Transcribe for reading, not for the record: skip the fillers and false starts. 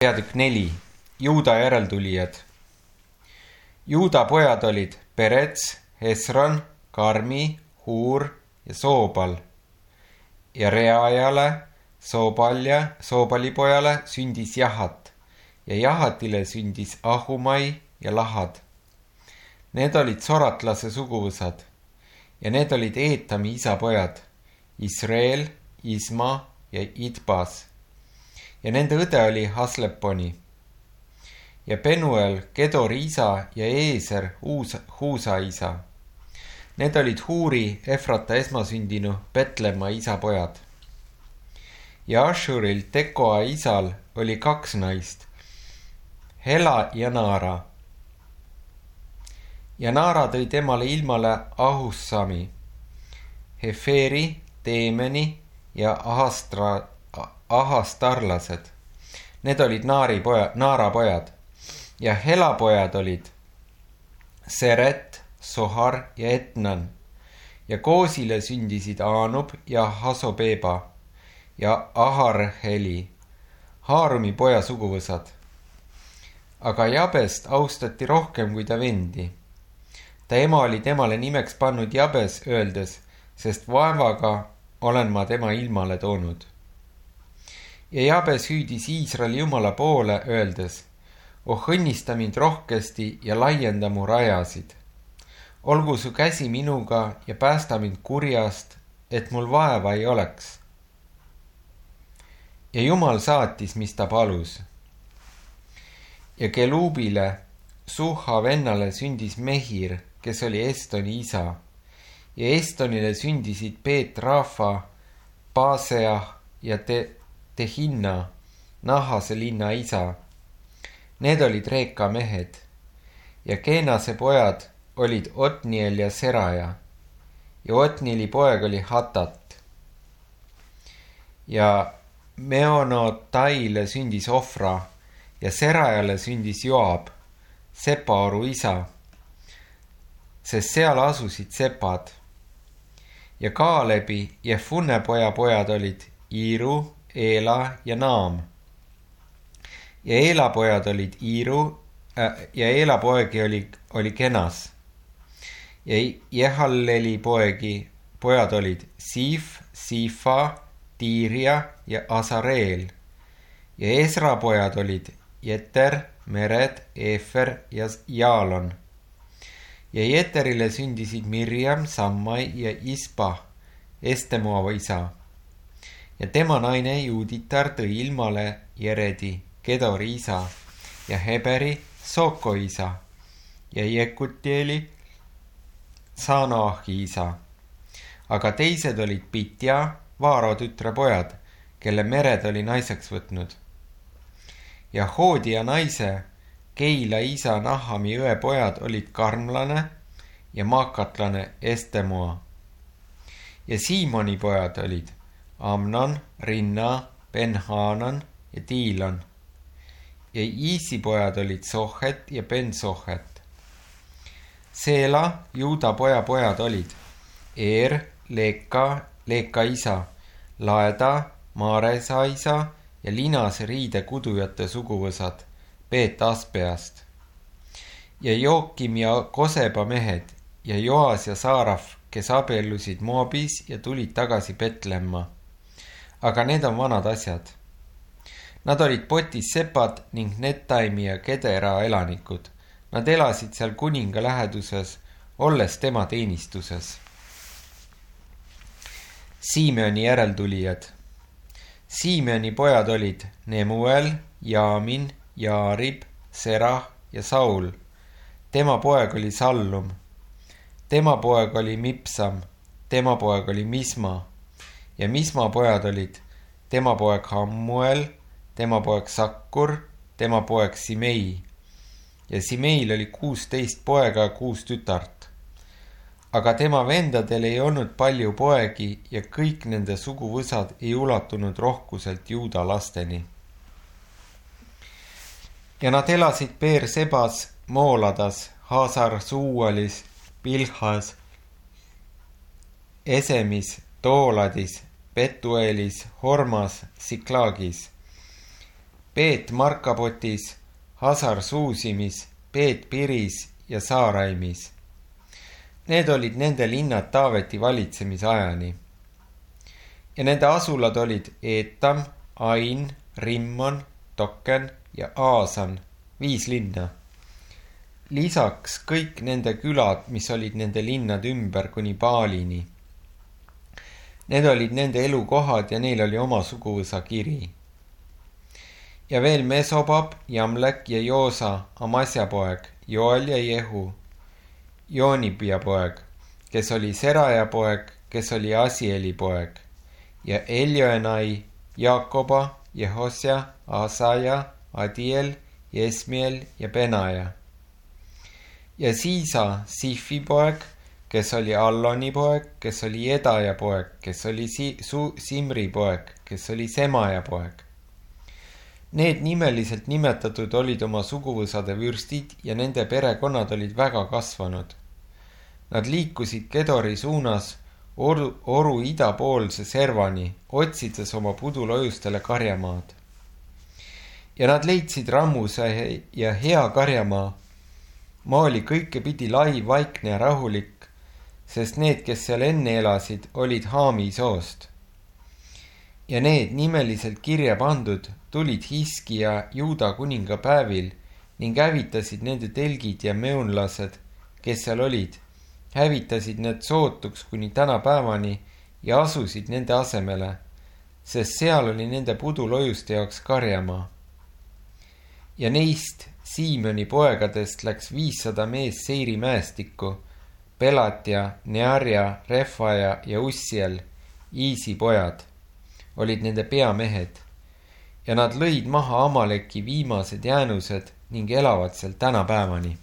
Peatükk 4. Juuda järeltulijad. Juuda pojad olid Perets, Hesron, Karmi, Huur ja Soobal. Ja Reajale, Soobali pojale sündis Jahat ja Jahatile sündis Ahumai ja Lahad. Need olid soratlase suguvõsad ja need olid Eetami isapojad, Israel, Isma ja Idbas. Ja nende õde oli Hasleponi. Ja Penuel, Kedori isa ja Eeser, Huusa isa. Need olid Huuri, Efrata esmasündinu, Petlemma isapojad. Ja Ashuril, Tekoa isal, oli 2 naist, Hela ja Naara. Ja Naara tõi temale ilmale Ahussami, Heferi, Teemeni ja Ahastarlased. Need olid Naara pojad. Ja Hela pojad olid Seret, Sohar ja Etnan. Ja Koosile sündisid Aanub ja Hasobeba ja Aharheli, Haarumi poja suguvõsad. Aga Jabest austati rohkem kui ta vendi. Ta ema oli temale nimeks pannud Jabes, öeldes, sest vaevaga olen ma tema ilmale toonud. Ja Jabes hüüdis Iisraeli Jumala poole, öeldes, oh õnnista mind rohkesti ja laienda mu rajasid. Olgu su käsi minuga ja päästa mind kurjast, et mul vaeva ei oleks. Ja Jumal saatis, mis ta palus. Ja Keluubile, Suha vennale sündis Mehir, kes oli Estoni isa. Ja Estonile sündisid Peet Rafa, Paseah ja Tehinna, Nahase linna isa. Need olid Reeka mehed. Ja Keenase pojad olid Otniel ja Seraja. Ja Otnieli poeg oli Hatat. Ja Meonotaile sündis Ofra ja Serajale sündis Joab, Sepaoru isa, sest seal asusid sepad. Ja Kaalebi ja Funne poja pojad olid Iiru, Eela ja Naam. Ja Eela pojad olid Iiru ja Eela poegi oli Kenas. Ja Jehalleli pojad olid Siif, Siifa, Tiiria ja Asareel. Ja Esra pojad olid Jeter, Mered, Efer ja Jaalon. Ja Jeterile sündisid Mirjam, Sammai ja Ispa, Estemoa isa. Ja tema naine Juuditar tõi ilmale Jeredi, Kedori isa, ja Heberi, Soko isa, ja Jekutieli, Sanoahi isa. Aga teised olid Pitja, Vaaro tütre pojad, kelle Mered oli naiseks võtnud. Ja Hoodia naise, Keila isa Nahami õe pojad olid Karmlane ja Maakatlane Estemoa. Ja Siimoni pojad olid Amnon, Rinna, Ben-Hanan ja Tiilon. Ja Iisi pojad olid Sohet ja Ben-Sohet. Seela, Juuda pojad olid Leeka isa, Laeda, Maaresa isa ja Linase riide kudujate suguvõsad Peet Aspeast. Ja Jookim ja Koseba mehed ja Joas ja Saaraf, kes abiellusid Moabis ja tulid tagasi Petlemma. Aga need on vanad asjad. Nad olid Potis sepad ning Netaimi ja Kedera elanikud. Nad elasid seal kuninga läheduses, olles tema teenistuses. Siimeoni järeltulijad. Siimeoni pojad olid Nemuel, Jaamin, Jaarib, Serah ja Saul. Tema poeg oli Sallum. Tema poeg oli Mipsam. Tema poeg oli Misma. Ja Misma pojad olid tema poeg Hammuel, tema poeg Sakkur, tema poeg Simei. Ja Simeil oli 16 poega ja 6 tütart. Aga tema vendadel ei olnud palju poegi ja kõik nende suguvõsad ei ulatunud rohkuselt Juuda lasteni. Ja nad elasid Beer-Sebas, Mooladas, Haasar-Suualis, Pilhas, Esemis, Tooladis, Betuelis, Hormas, Siklaagis. Peet Markapotis, Hasar Suusimis, Peet Piris ja Saaraimis. Need olid nende linnad Taaveti valitsemisajani. Ja nende asulad olid Eetam, Ain, Rimmon, Token ja Aasan, 5 linna. Lisaks kõik nende külad, mis olid nende linnad ümber kuni Baalini. Need olid nende elukohad ja neil oli oma suguvõsa kiri. Ja veel Mesobab, Jamlek ja Joosa, Amasja poeg, Joel ja Jehu, Joonibia poeg, kes oli Seraja poeg, kes oli Asieli poeg, ja Eljoenai, Jaakoba, Jehosja, Asaja, Adiel, Jesmiel ja Benaja. Ja Siisa, Sifi poeg, kes oli Alloni poeg, kes oli Jedaja poeg, kes oli Simri poeg, kes oli Semaja poeg. Need nimeliselt nimetatud olid oma suguvõsade vürstid ja nende perekonnad olid väga kasvanud. Nad liikusid Kedori suunas oru idapoolse servani, otsides oma pudulojustele karjamaad. Ja nad leidsid Rammuse ja hea karjamaa. Maa oli kõikepidi lai, vaikne ja rahulik, sest need, kes seal enne elasid, olid Haami soost. Ja need nimeliselt kirja pandud tulid Hiskija Juuda kuninga päevil ning hävitasid nende telgid ja meunlased, kes seal olid, hävitasid need sootuks kuni tänapäevani ja asusid nende asemele, sest seal oli nende pudulojuste jaoks karjamaa. Ja neist Siimoni poegadest läks 500 mees Seiri mäestikku, Pelatja, Nearja, Refaja ja Ussiel, Iisi pojad, olid nende peamehed, ja nad lõid maha Amaleki viimased jäänused ning elavad seal tänapäevani.